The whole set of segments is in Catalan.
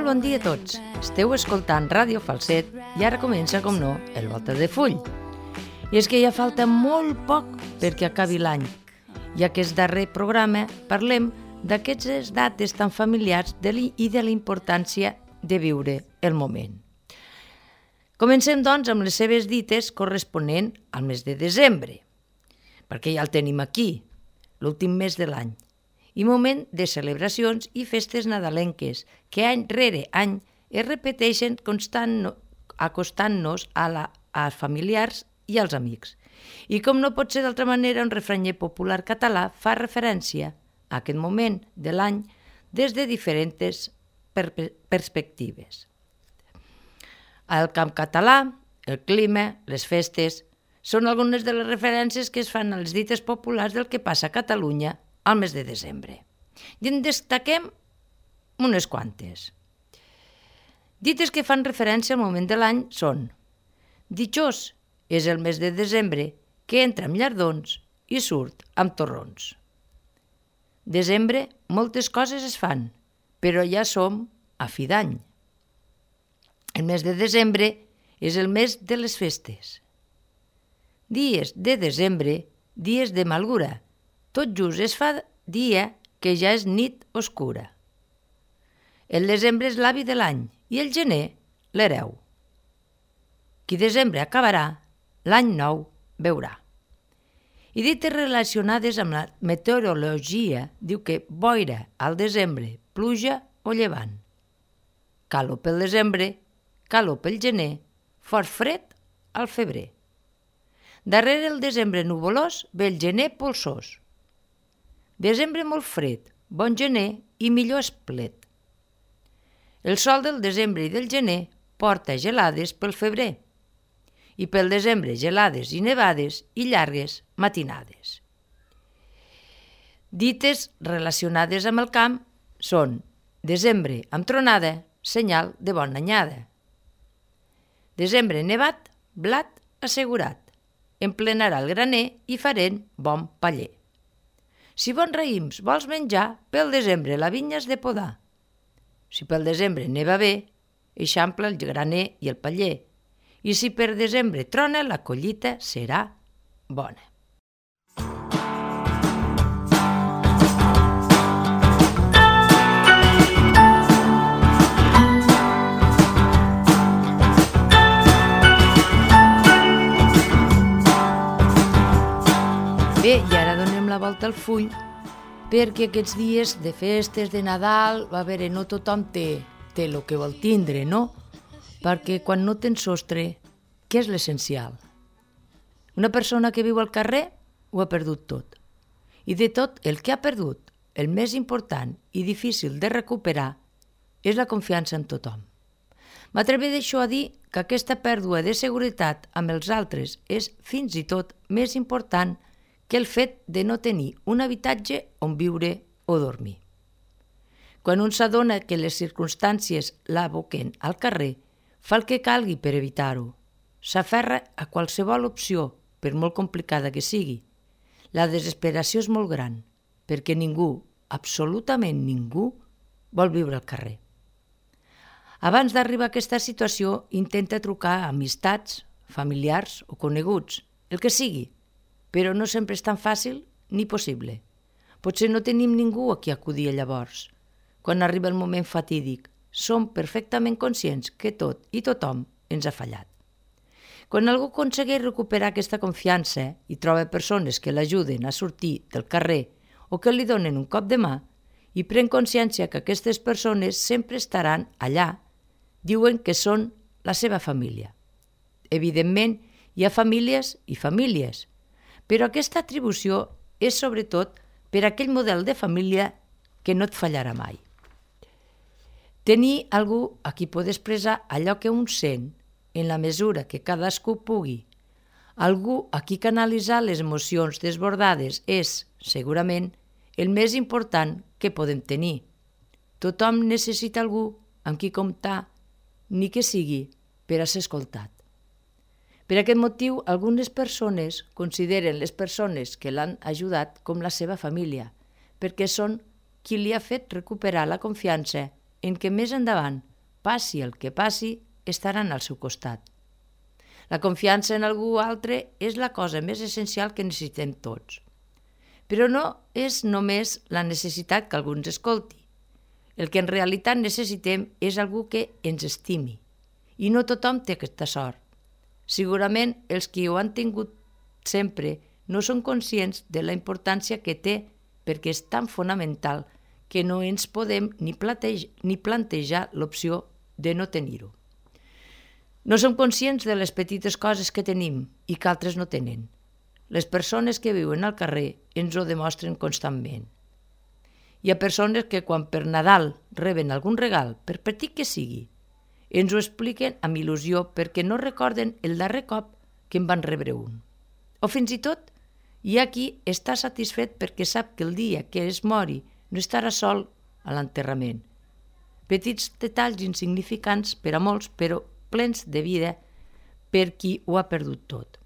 Molt bon dia a tots. Esteu escoltant Ràdio Falset i ara comença, com no, el Volta de Full. I és que ja falta molt poc perquè acabi l'any. I aquest darrer programa parlem d'aquestes dates tan familiars i de la importància de viure el moment. Comencem, doncs, amb les seves dites corresponent al mes de desembre, perquè ja el tenim aquí, l'últim mes de l'any, i moment de celebracions i festes nadalenques que any rere any es repeteixen acostant-nos als familiars i als amics. I com no pot ser d'altra manera, un refranyer popular català fa referència a aquest moment de l'any des de diferents perspectives. El camp català, el clima, les festes, són algunes de les referències que es fan a les dites populars del que passa a Catalunya al mes de desembre. I en destaquem unes quantes. Dites que fan referència al moment de l'any són: ditxós és el mes de desembre que entra amb llardons i surt amb torrons. Desembre moltes coses es fan, però ja som a fi d'any. El mes de desembre és el mes de les festes. Dies de desembre, dies de malgura. Tot just es fa dia que ja és nit oscura. El desembre és l'avi de l'any i el gener l'hereu. Qui desembre acabarà, l'any nou veurà. I dites relacionades amb la meteorologia diu que boira al desembre, pluja o llevant. Calor pel desembre, calor pel gener, fort fred al febrer. Darrere el desembre nuvolós ve el gener polsós. Desembre molt fred, bon gener i millor esplet. El sol del desembre i del gener porta gelades pel febrer i pel desembre gelades i nevades i llargues matinades. Dites relacionades amb el camp són: desembre amb tronada, senyal de bona anyada. Desembre nevat, blat assegurat. Emplenarà el graner i farem bon paller. Si bons raïms vols menjar, pel desembre la vinya has de podar. Si pel desembre neva bé, eixampla el graner i el paller. I si per desembre trona, la collita serà bona. Bé, i ara donem la volta al full, perquè aquests dies de festes, de Nadal, va veure, no tothom té el que vol tindre, no? Perquè quan no tens sostre, què és l'essencial? Una persona que viu al carrer ho ha perdut tot. I de tot el que ha perdut, el més important i difícil de recuperar és la confiança en tothom. M'atreveixo a dir que aquesta pèrdua de seguretat amb els altres és fins i tot més important que el fet de no tenir un habitatge on viure o dormir. Quan un s'adona que les circumstàncies l'aboquen al carrer, fa el que calgui per evitar-ho. S'aferra a qualsevol opció, per molt complicada que sigui. La desesperació és molt gran, perquè ningú, absolutament ningú, vol viure al carrer. Abans d'arribar a aquesta situació, intenta trucar a amistats, familiars o coneguts, el que sigui, però no sempre és tan fàcil ni possible. Potser no tenim ningú a qui acudir llavors. Quan arriba el moment fatídic, som perfectament conscients que tot i tothom ens ha fallat. Quan algú aconsegueix recuperar aquesta confiança i troba persones que l'ajuden a sortir del carrer o que li donen un cop de mà i pren consciència que aquestes persones sempre estaran allà, diuen que són la seva família. Evidentment, hi ha famílies i famílies, però aquesta atribució és sobretot per aquell model de família que no et fallarà mai. Tenir algú a qui pot expressar allò que un sent en la mesura que cadascú pugui. Algú a qui canalitzar les emocions desbordades és, segurament, el més important que podem tenir. Tothom necessita algú amb qui comptar, ni que sigui per a ser escoltat. Per aquest motiu, algunes persones consideren les persones que l'han ajudat com la seva família, perquè són qui li ha fet recuperar la confiança en què més endavant passi el que passi, estaran al seu costat. La confiança en algú altre és la cosa més essencial que necessitem tots. Però no és només la necessitat que algú ens escolti. El que en realitat necessitem és algú que ens estimi. I no tothom té aquesta sort. Segurament els que ho han tingut sempre no són conscients de la importància que té perquè és tan fonamental que no ens podem ni plantejar l'opció de no tenir-ho. No som conscients de les petites coses que tenim i que altres no tenen. Les persones que viuen al carrer ens ho demostren constantment. Hi ha persones que quan per Nadal reben algun regal, per petit que sigui, ens ho expliquen amb il·lusió perquè no recorden el darrer cop que en van rebre un. O fins i tot hi ha qui està satisfet perquè sap que el dia que es mori no estarà sol a l'enterrament. Petits detalls insignificants per a molts, però plens de vida per qui ho ha perdut tot.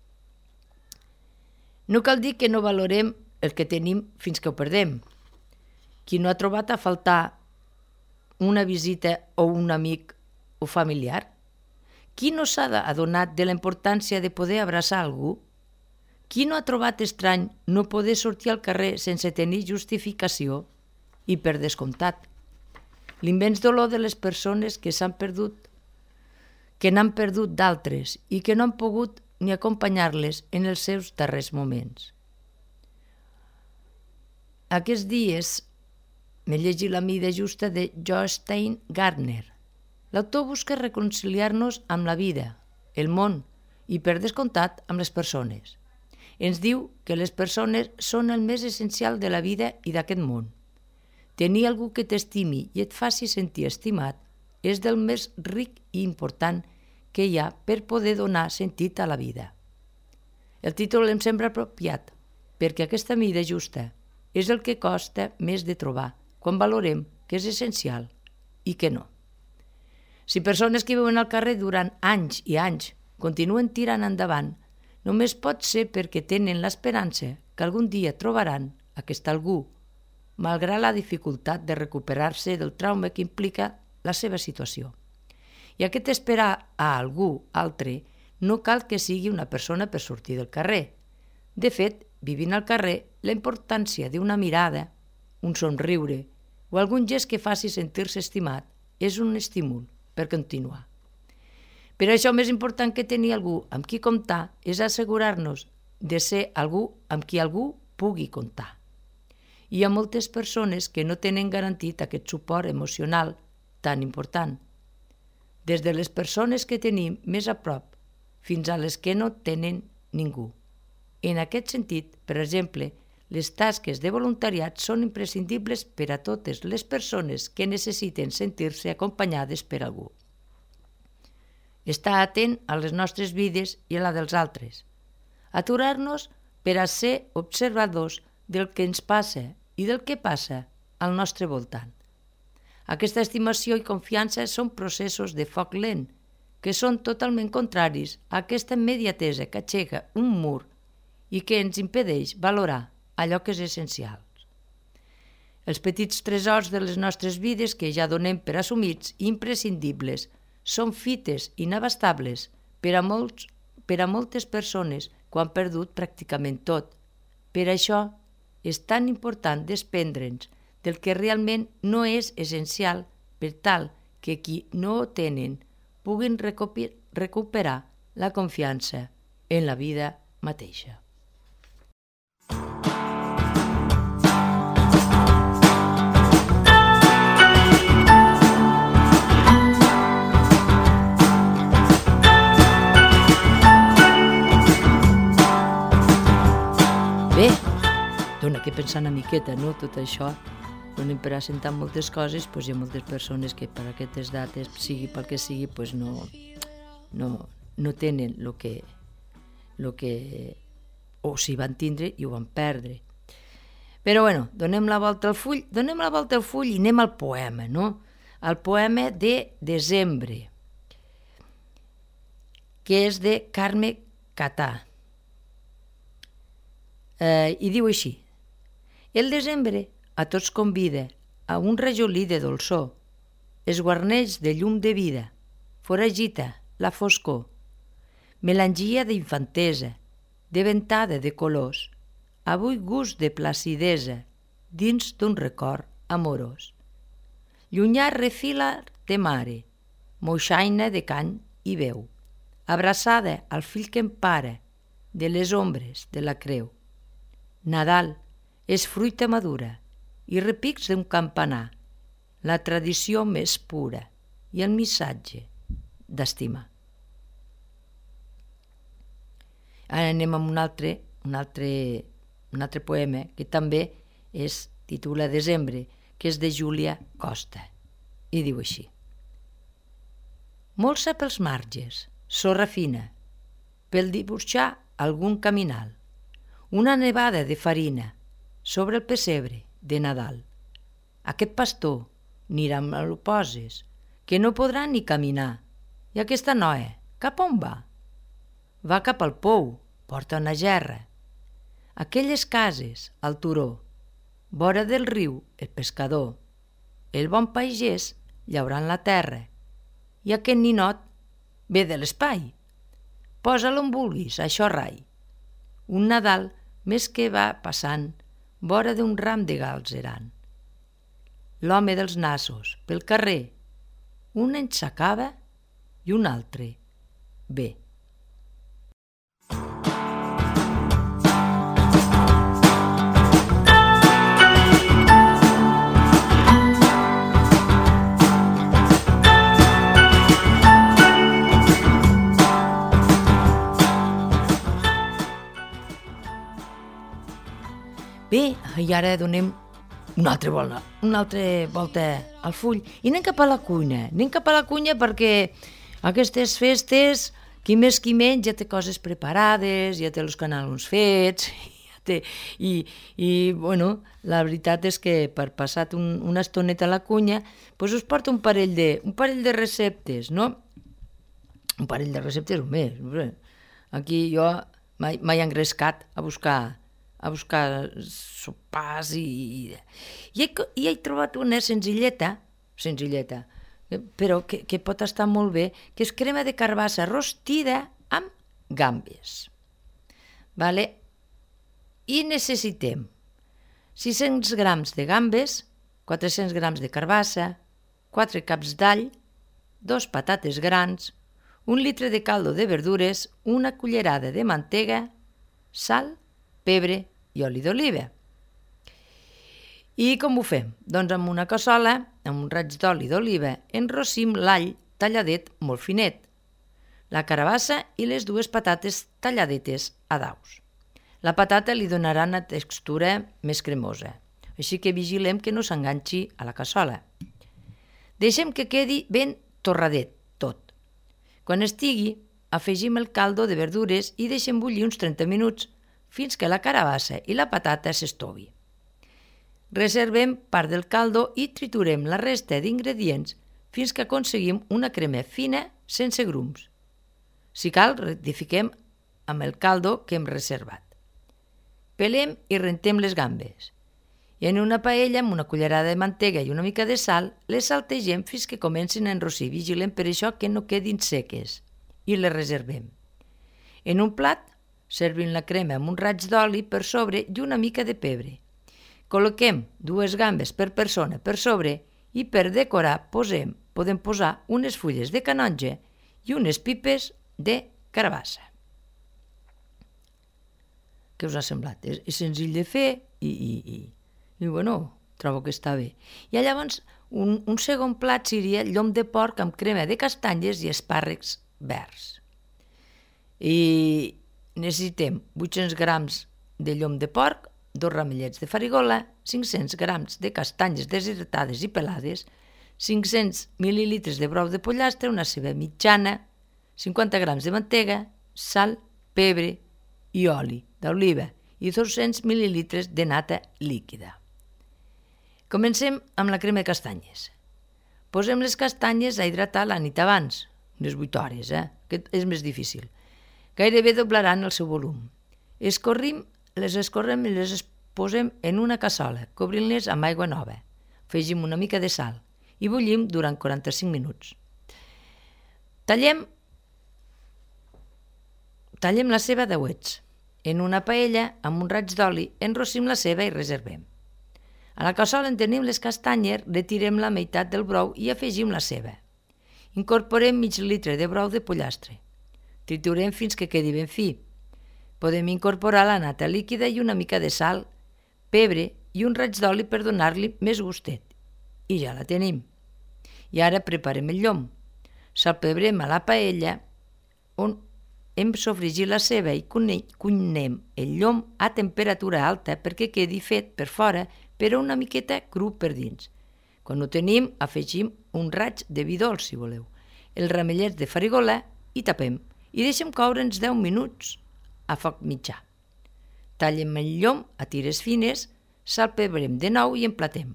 No cal dir que no valorem el que tenim fins que ho perdem. Qui no ha trobat a faltar una visita o un amic o familiar? Qui no s'ha adonat de la importància de poder abraçar algú? Qui no ha trobat estrany no poder sortir al carrer sense tenir justificació? I per descomptat, l'immens dolor de les persones que s'han perdut, que n'han perdut d'altres i que no han pogut ni acompanyar-les en els seus darrers moments. Aquests dies m'he llegit La mida justa de Jostein Gardner. L'autor busca reconciliar-nos amb la vida, el món i, per descomptat, amb les persones. Ens diu que les persones són el més essencial de la vida i d'aquest món. Tenir algú que t'estimi i et faci sentir estimat és del més ric i important que hi ha per poder donar sentit a la vida. El títol em sembla apropiat perquè aquesta mida justa és el que costa més de trobar quan valorem que és essencial i que no. Si persones que viuen al carrer durant anys i anys continuen tirant endavant, només pot ser perquè tenen l'esperança que algun dia trobaran aquest algú, malgrat la dificultat de recuperar-se del trauma que implica la seva situació. I aquest esperar a algú altre no cal que sigui una persona per sortir del carrer. De fet, vivint al carrer, la importància d'una mirada, un somriure o algun gest que faci sentir-se estimat és un estímul per continuar. Per això, més important que tenir algú amb qui comptar és assegurar-nos de ser algú amb qui algú pugui comptar. Hi ha moltes persones que no tenen garantit aquest suport emocional tan important, des de les persones que tenim més a prop fins a les que no tenen ningú. En aquest sentit, per exemple, les tasques de voluntariat són imprescindibles per a totes les persones que necessiten sentir-se acompanyades per algú. Estar atent a les nostres vides i a la dels altres. Aturar-nos per a ser observadors del que ens passa i del que passa al nostre voltant. Aquesta estimació i confiança són processos de foc lent, que són totalment contraris a aquesta immediatesa que aixeca un mur i que ens impedeix valorar allò que és essencial. Els petits tresors de les nostres vides que ja donem per assumits i imprescindibles són fites inabastables per a moltes persones que ho han perdut pràcticament tot. Per això és tan important desprendre'ns del que realment no és essencial per tal que qui no ho tenen puguin recuperar la confiança en la vida mateixa. Bé, dona que pensar una miqueta, no? Tot això, donem per assentar moltes coses, doncs hi ha moltes persones que per aquestes dates, sigui pel que sigui, doncs no tenen el que o si van tindre i ho van perdre. Però bueno, donem la volta al full i anem al poema, no? Al poema de Desembre, que és de Carme Catà. I diu així: el desembre a tots convida a un rajolí de dolçor, es guarneix de llum de vida, foragita la foscor, melangia d'infantesa, de ventada de colors, avui gust de placidesa dins d'un record amorós. Llunyà refila de mare, moixaina de cany i veu, abraçada al fill que empara de les ombres de la creu. Nadal és fruita madura i repics d'un campanar, la tradició més pura i el missatge d'estimar. Ara anem amb un altre poema que també es titula Desembre, que és de Júlia Costa, i diu així. Molsa pels marges, sorra fina, pel dibuixar algun caminal, una nevada de farina sobre el pessebre de Nadal. Aquest pastor anirà amb el poses, que no podrà ni caminar. I aquesta noia, cap on va? Va cap al pou, porta una gerra. Aquelles cases, al turó, vora del riu, el pescador, el bon pagès llaurant la terra. I aquest ninot ve de l'espai. Posa-lo on vulguis, això rai. Un Nadal més que va passant, vora d'un ram de galzeran. L'home dels nassos, pel carrer, un en s'acaba i un altre ve. Bé, i ara donem una altra volta al full i anem cap a la cuina, perquè aquestes festes, qui més qui menys, ja té coses preparades, ja té els canelons fets, bueno, la veritat és que per passar una estoneta a la cuina, doncs us porto un parell de receptes, no? Un parell de receptes o més. Aquí jo m'he engrescat a buscar sopars i he trobat una senzilleta, però que pot estar molt bé, que és crema de carbassa rostida amb gambes. Vale? I necessitem 600 grams de gambes, 400 grams de carbassa, 4 caps d'all, 2 patates grans, 1 litre de caldo de verdures, una cullerada de mantega, sal, pebre i oli d'oliva. I com ho fem? Doncs amb una cassola, amb un raig d'oli d'oliva, enrossim l'all talladet molt finet, la carbassa i les 2 patates talladetes a daus. La patata li donarà una textura més cremosa, així que vigilem que no s'enganxi a la cassola. Deixem que quedi ben torradet tot. Quan estigui, afegim el caldo de verdures i deixem bullir uns 30 minuts fins que la carbassa i la patata s'estovi. Reservem part del caldo i triturem la resta d'ingredients fins que aconseguim una crema fina sense grums. Si cal, rectifiquem amb el caldo que hem reservat. Pelem i rentem les gambes. I en una paella amb una cullerada de mantega i una mica de sal, les saltegem fins que comencin a enrossir. Vigilem per això que no quedin seques i les reservem. En un plat, servim la crema amb un raig d'oli per sobre i una mica de pebre. Col·loquem 2 gambes per persona per sobre i per decorar podem posar unes fulles de canonge i unes pipes de carbassa. Què us ha semblat? És senzill de fer i bueno, trobo que està bé. I llavors un segon plat seria llom de porc amb crema de castanyes i espàrrecs verds. I necessitem 800 grams de llom de porc, 2 ramellets de farigola, 500 grams de castanyes deshidratades i pelades, 500 mil·lilitres de brou de pollastre, una ceba mitjana, 50 grams de mantega, sal, pebre i oli d'oliva i 200 mil·lilitres de nata líquida. Comencem amb la crema de castanyes. Posem les castanyes a hidratar la nit abans, unes 8 hores, que és més difícil. Gairebé doblaran el seu volum. Les escorrem i les posem en una cassola, cobrint-les amb aigua nova. Afegim una mica de sal i bullim durant 45 minuts. Tallem la ceba a dauets. En una paella, amb un raig d'oli, enrossim la ceba i reservem. A la cassola en tenim les castanyes, retirem la meitat del brou i afegim la ceba. Incorporem mig litre de brou de pollastre. Triturem fins que quedi ben fi. Podem incorporar la nata líquida i una mica de sal, pebre i un raig d'oli per donar-li més gustet. I ja la tenim. I ara preparem el llom. Salpebrem a la paella on hem sofregit la ceba i cuinem el llom a temperatura alta perquè quedi fet per fora però una miqueta cru per dins. Quan ho tenim, afegim un raig de vi dolç, si voleu, els ramellets de farigola i tapem i deixem coure uns 10 minuts a foc mitjà. Tallem el llom a tires fines, salpebrem de nou i emplatem.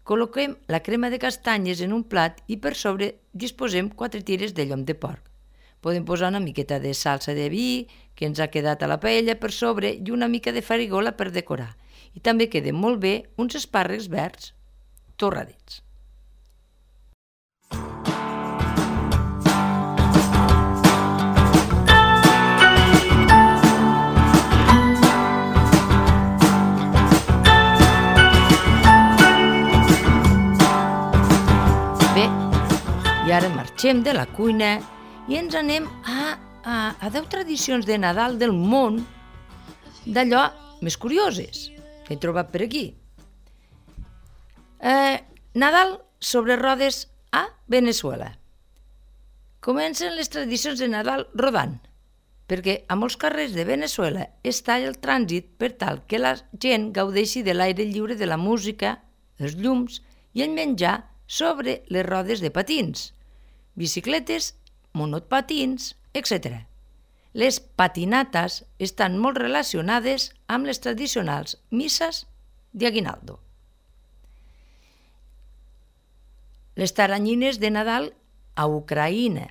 Col·loquem la crema de castanyes en un plat i per sobre disposem 4 tires de llom de porc. Podem posar una miqueta de salsa de vi que ens ha quedat a la paella per sobre i una mica de farigola per decorar. I també queden molt bé uns espàrrecs verds torradets. Bé, i ara marxem de la cuina i ens anem a 10 tradicions de Nadal del món d'allò més curioses que he trobat per aquí. Nadal sobre rodes a Veneçuela. Comencen les tradicions de Nadal rodant, perquè a molts carrers de Veneçuela es talla el trànsit per tal que la gent gaudeixi de l'aire lliure, de la música, els llums i el menjar sobre les rodes de patins, bicicletes, monopatins, etc. Les patinates estan molt relacionades amb les tradicionals misses d'aguinaldo. Les taranyines de Nadal a Ucraïna.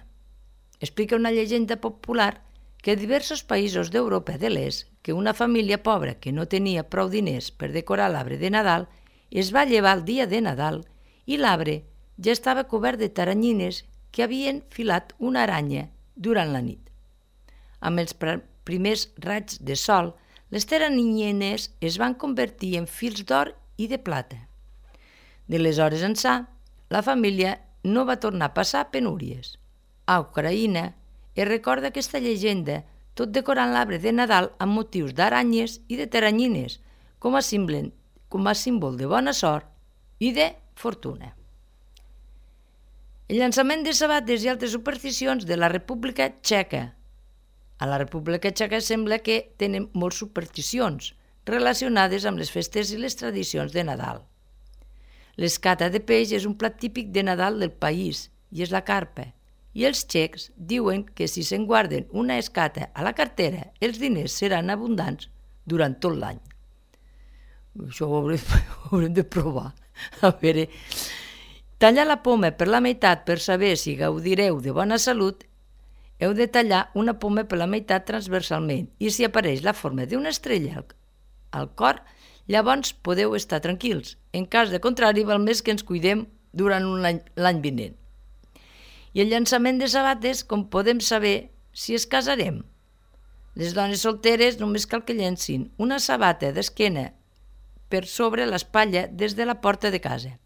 Explica una llegenda popular que a diversos països d'Europa de l'Est que una família pobra que no tenia prou diners per decorar l'arbre de Nadal es va llevar el dia de Nadal i l'arbre ja estava cobert de taranyines que havien filat una aranya durant la nit. Amb els primers raigs de sol, les taranyines es van convertir en fils d'or i de plata. De les hores ençà, la família no va tornar a passar penúries. A Ucraïna es recorda aquesta llegenda tot decorant l'arbre de Nadal amb motius d'aranyes i de taranyines com a símbol de bona sort i de fortuna. El llançament de sabates i altres supersticions de la República Txeca. A la República Txeca sembla que tenen moltes supersticions relacionades amb les festes i les tradicions de Nadal. L'escata de peix és un plat típic de Nadal del país i és la carpa. I els txecs diuen que si se'n guarden una escata a la cartera, els diners seran abundants durant tot l'any. Això ho haurem de provar. A veure, tallar la poma per la meitat per saber si gaudireu de bona salut. Heu de tallar una poma per la meitat transversalment i si apareix la forma d'una estrella al cor, llavors podeu estar tranquils. En cas de contrari, val més que ens cuidem durant l'any vinent. I el llançament de sabates, com podem saber si es casarem? Les dones solteres només cal que llencin una sabata d'esquena per sobre l'espatlla des de la porta de casa.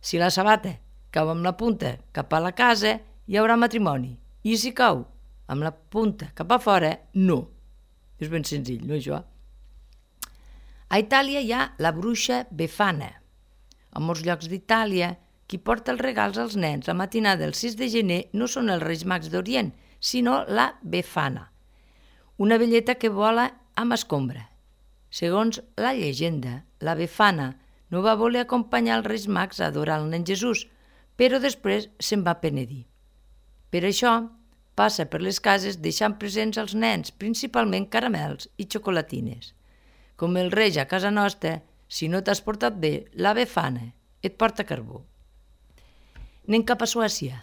Si la sabata cau amb la punta cap a la casa, hi haurà matrimoni. I si cau amb la punta cap a fora, no. És ben senzill, no, això? A Itàlia hi ha la bruixa Befana. A molts llocs d'Itàlia, qui porta els regals als nens la matinada del 6 de gener no són els Reis Mags d'Orient, sinó la Befana, una velleta que vola amb escombra. Segons la llegenda, la Befana no va voler acompanyar els Reis Mags a adorar el nen Jesús, però després se'n va penedir. Per això, passa per les cases deixant presents als nens, principalment caramels i xocolatines. Com el rei a casa nostra, si no t'has portat bé, la Befana et porta carbó. Anem cap a Suècia.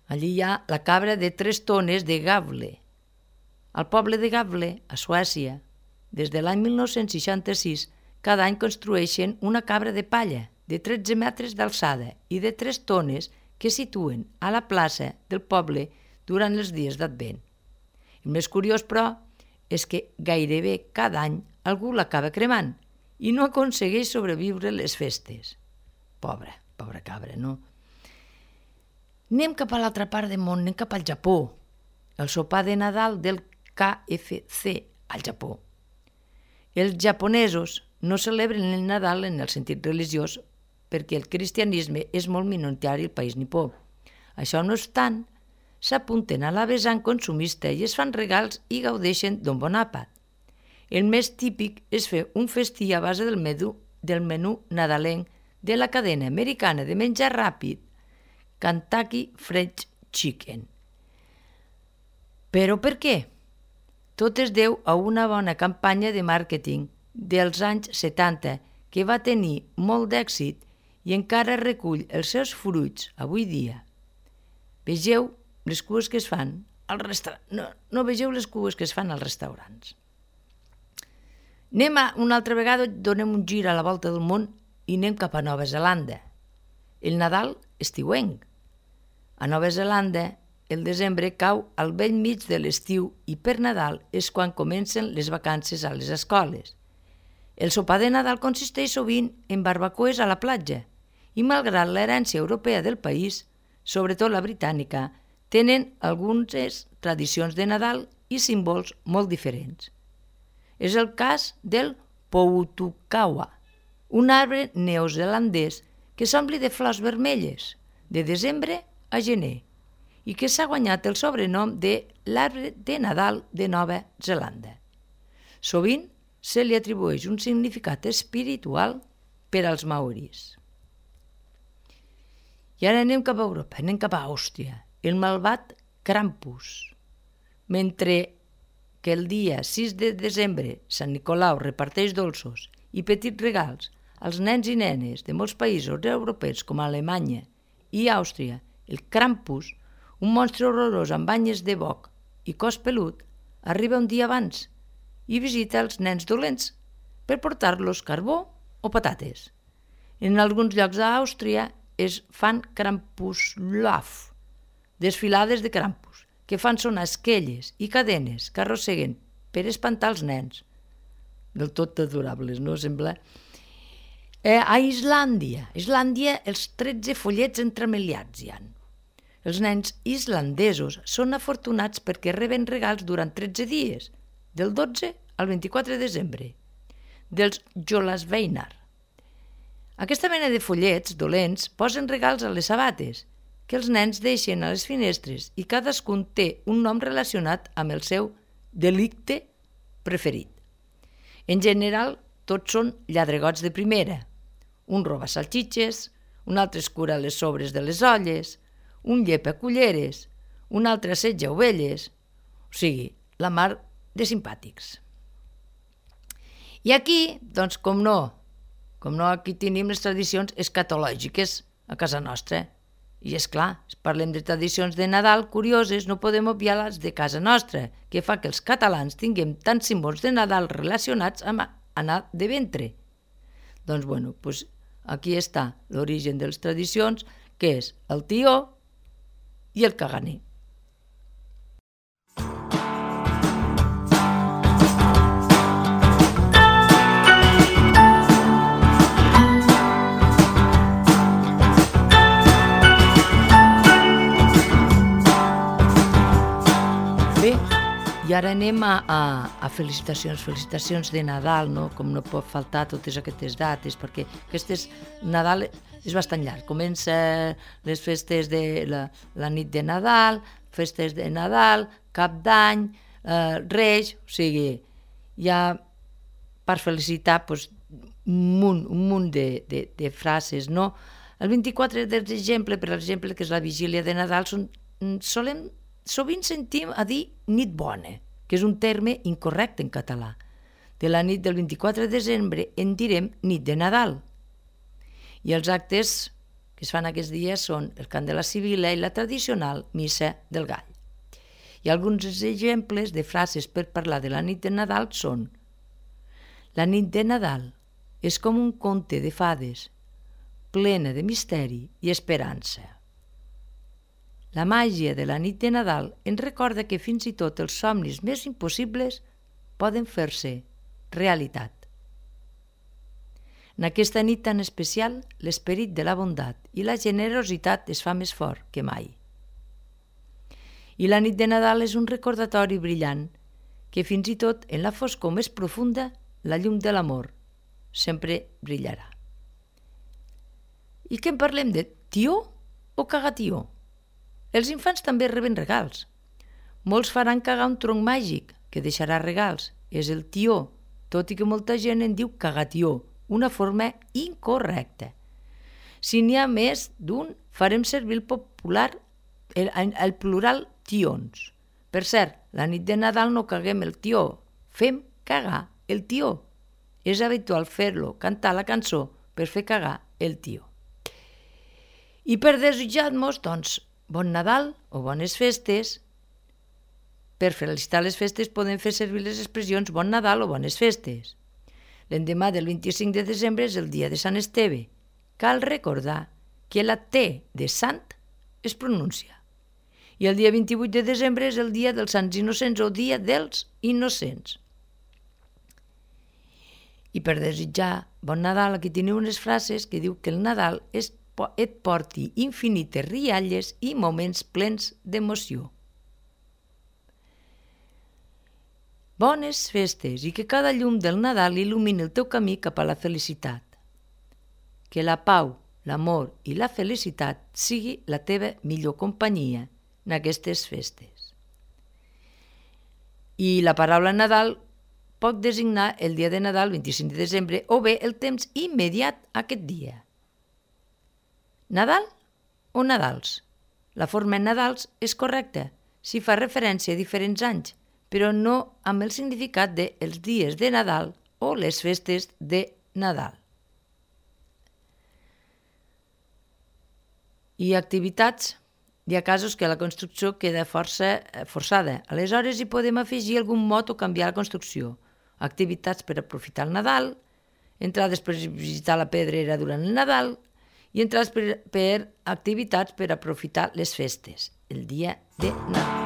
Allí hi ha la cabra de 3 tones de Gavle. Al poble de Gavle, a Suècia, des de l'any 1966, cada any construeixen una cabra de palla, de 13 metres d'alçada i de 3 tones que situen a la plaça del poble durant els dies d'Advent. El més curiós, però, és que gairebé cada any algú l'acaba cremant i no aconsegueix sobreviure les festes. Pobra cabra, no? Anem cap a l'altra part del món, anem cap al Japó, el sopar de Nadal del KFC al Japó. Els japonesos no celebren el Nadal en el sentit religiós perquè el cristianisme és molt minoritari al país nipó. Això no obstant, s'apunten a la vessant consumista i es fan regals i gaudeixen d'un bon àpat. El més típic és fer un festí a base del menú nadalenc de la cadena americana de menjar ràpid Kentucky Fried Chicken. Però per què? Tot es deu a una bona campanya de màrqueting dels anys 70 que va tenir molt d'èxit i encara recull els seus fruits avui dia. Vegeu les cues que es fan als restaurants. No vegeu les cues que es fan als restaurants. Una altra vegada, donem un gir a la volta del món i anem cap a Nova Zelanda. El Nadal estiuenc. A Nova Zelanda, el desembre cau al bell mig de l'estiu i per Nadal és quan comencen les vacances a les escoles. El sopar de Nadal consisteix sovint en barbacoes a la platja i, malgrat l'herència europea del país, sobretot la britànica, tenen algunes tradicions de Nadal i símbols molt diferents. És el cas del Poutukawa, un arbre neozelandès que s'ompli de flors vermelles de desembre a gener i que s'ha guanyat el sobrenom de l'arbre de Nadal de Nova Zelanda. Sovint se li atribueix un significat espiritual per als maoris. I ara anem cap a Europa, anem cap a Àustria, el malvat Krampus. Mentre que el dia 6 de desembre Sant Nicolau reparteix dolços i petits regals als nens i nenes de molts països europeus com Alemanya i Àustria, el Krampus, un monstre horrorós amb banyes de boc i cos pelut, arriba un dia abans i visita els nens dolents per portar-los carbó o patates. En alguns llocs d'Àustria es fan Krampuslauf, desfilades de Krampus, que fan sonar esquelles i cadenes que arrosseguen per espantar els nens. Del tot adorables, no sembla? A Islàndia, els 13 follets entremaliats hi ha. Els nens islandesos són afortunats perquè reben regals durant 13 dies, del 12 al 24 de desembre, dels Jólasveinar. Aquesta mena de follets dolents posen regals a les sabates, que els nens deixen a les finestres i cadascun té un nom relacionat amb el seu delicte preferit. En general, tots són lladregots de primera. Un roba salxitxes, un altre escura les sobres de les olles, un llepa culleres, un altre assetja ovelles, o sigui, la mar de simpàtics. I aquí, doncs, com no, aquí tenim les tradicions escatològiques a casa nostra. I és clar, si parlem de tradicions de Nadal curioses, no podem obviar les de casa nostra, que fa que els catalans tinguem tants símbols de Nadal relacionats amb anar de ventre. Doncs, aquí està l'origen de les tradicions, que és el tió i el caganer. Bé, i ara anem a felicitacions de Nadal, no? Com no pot faltar totes aquestes dates, perquè Nadal és bastant llarg. Comença les festes de la nit de Nadal, festes de Nadal, Cap d'Any, Reis, o sigui, hi ha per felicitar un munt de frases, no? El 24 de desembre, per exemple, que és la vigília de Nadal, sovint sentim a dir nit bona, que és un terme incorrecte en català. De la nit del 24 de desembre en direm nit de Nadal. I els actes que es fan aquests dies són el cant de la Sibila i la tradicional missa del gall. I alguns exemples de frases per parlar de la nit de Nadal són: la nit de Nadal és com un conte de fades, plena de misteri i esperança. La màgia de la nit de Nadal ens recorda que fins i tot els somnis més impossibles poden fer-se realitat. En aquesta nit tan especial, l'esperit de la bondat i la generositat es fa més fort que mai. I la nit de Nadal és un recordatori brillant que fins i tot en la foscor més profunda, la llum de l'amor sempre brillarà. I què en parlem de tió o cagatió? Els infants també reben regals. Molts faran cagar un tronc màgic que deixarà regals. És el tió, tot i que molta gent en diu cagatió, una forma incorrecta. Si n'hi ha més d'un, farem servir el plural tions. Per cert, la nit de Nadal no caguem el tió, fem cagar el tió. És habitual fer-lo, cantar la cançó per fer cagar el tió. I per desitjar-nos, doncs, bon Nadal o bones festes. Per felicitar les festes podem fer servir les expressions bon Nadal o bones festes. L'endemà del 25 de desembre és el dia de Sant Esteve. Cal recordar que la T de sant es pronuncia. I el dia 28 de desembre és el dia dels Sants Innocents o dia dels Innocents. I per desitjar bon Nadal, aquí teniu unes frases que diu que el Nadal et porti infinites rialles i moments plens d'emoció. Bones festes i que cada llum del Nadal il·lumini el teu camí cap a la felicitat. Que la pau, l'amor i la felicitat sigui la teva millor companyia en aquestes festes. I la paraula Nadal pot designar el dia de Nadal, 25 de desembre, o bé el temps immediat a aquest dia. Nadal o Nadals? La forma Nadals és correcta si fa referència a diferents anys, però no amb el significat de els dies de Nadal o les festes de Nadal. I activitats. Hi ha casos que la construcció queda força forçada. Aleshores hi podem afegir algun mot o canviar la construcció. Activitats per aprofitar el Nadal, entrades per visitar la pedrera durant el Nadal i entrades per activitats per aprofitar les festes, el dia de Nadal.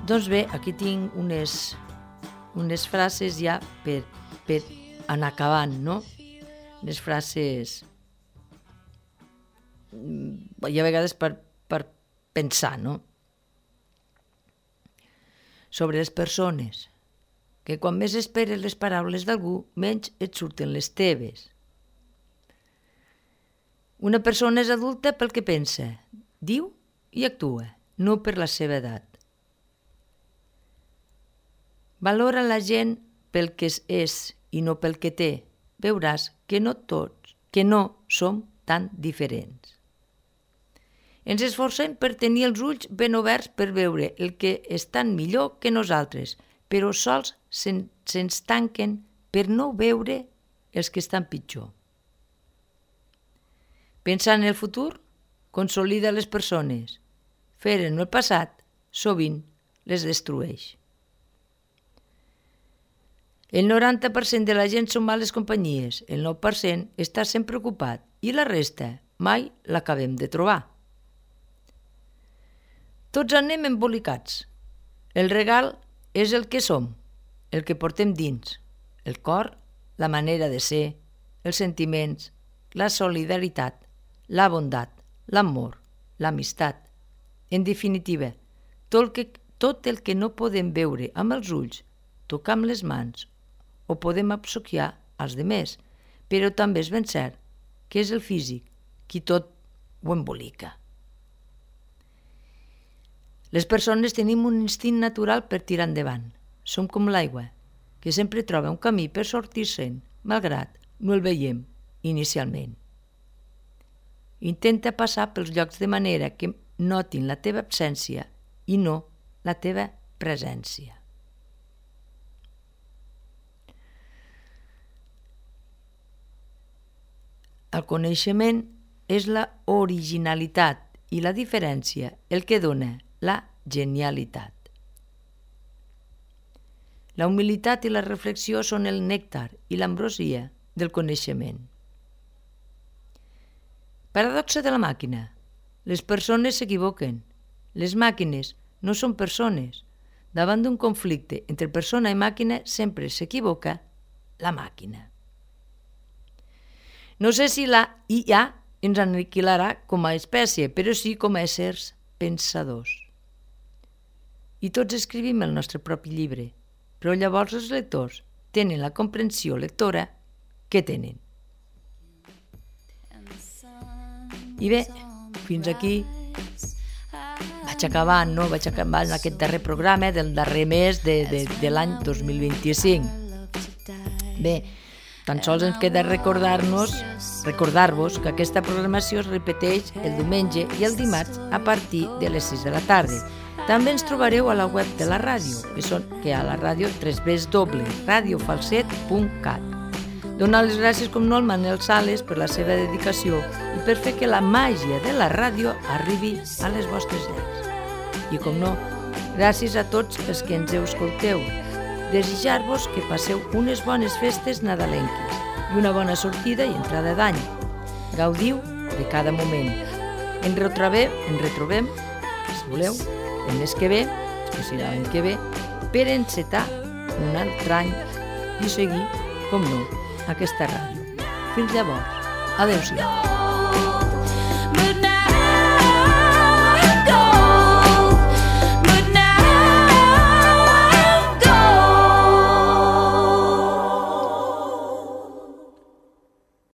Doncs bé, aquí tinc unes frases ja per anar acabant, no? Unes frases i a vegades per pensar, no? Sobre les persones, que quan més esperes les paraules d'algú, menys et surten les teves. Una persona és adulta pel que pensa, diu i actua, no per la seva edat. Valora la gent pel que és i no pel que té. Veuràs que no som tan diferents. Ens esforcem per tenir els ulls ben oberts per veure el que estan millor que nosaltres, però sols se'ns tanquen per no veure els que estan pitjor. Pensar en el futur consolida les persones. Fer en el passat sovint les destrueix. El 90% de la gent són males companyies, el 9% està sempre ocupat i la resta mai l'acabem de trobar. Tots anem embolicats. El regal és el que som, el que portem dins, el cor, la manera de ser, els sentiments, la solidaritat, la bondat, l'amor, l'amistat. En definitiva, tot el que no podem veure amb els ulls, tocar amb les mans o podem obsequiar als demés, però també és ben cert que és el físic qui tot ho embolica. Les persones tenim un instint natural per tirar endavant. Som com l'aigua, que sempre troba un camí per sortir-se'n, malgrat no el veiem inicialment. Intenta passar pels llocs de manera que notin la teva absència i no la teva presència. El coneixement és la originalitat i la diferència el que dona la genialitat. La humilitat i la reflexió són el nèctar i l'ambrosia del coneixement. Paradoxa de la màquina. Les persones s'equivoquen. Les màquines no són persones. Davant d'un conflicte entre persona i màquina sempre s'equivoca la màquina. No sé si la IA ens aniquilarà com a espècie, però sí com a éssers pensadors. I tots escrivim el nostre propi llibre, però llavors els lectors tenen la comprensió lectora que tenen. I bé, fins aquí vaig acabant en aquest darrer programa del darrer mes de l'any 2025. Bé, tan sols ens queda recordar-vos que aquesta programació es repeteix el diumenge i el dimarts a partir de les 6 de la tarda. També ens trobareu a la web de la ràdio, que a la ràdio www.radiofalset.cat. Donar les gràcies com no al Manel Sales per la seva dedicació i per fer que la màgia de la ràdio arribi a les vostres llars. I com no, gràcies a tots els que ens escolteu. Desitjar-vos que passeu unes bones festes nadalenques i una bona sortida i entrada d'any. Gaudiu de cada moment. Ens retrobem, si voleu, el mes que ve, que serà l'any que ve, per encetar un altre any i seguir, com no, aquesta ràdio. Fins llavors. Adéu-siau.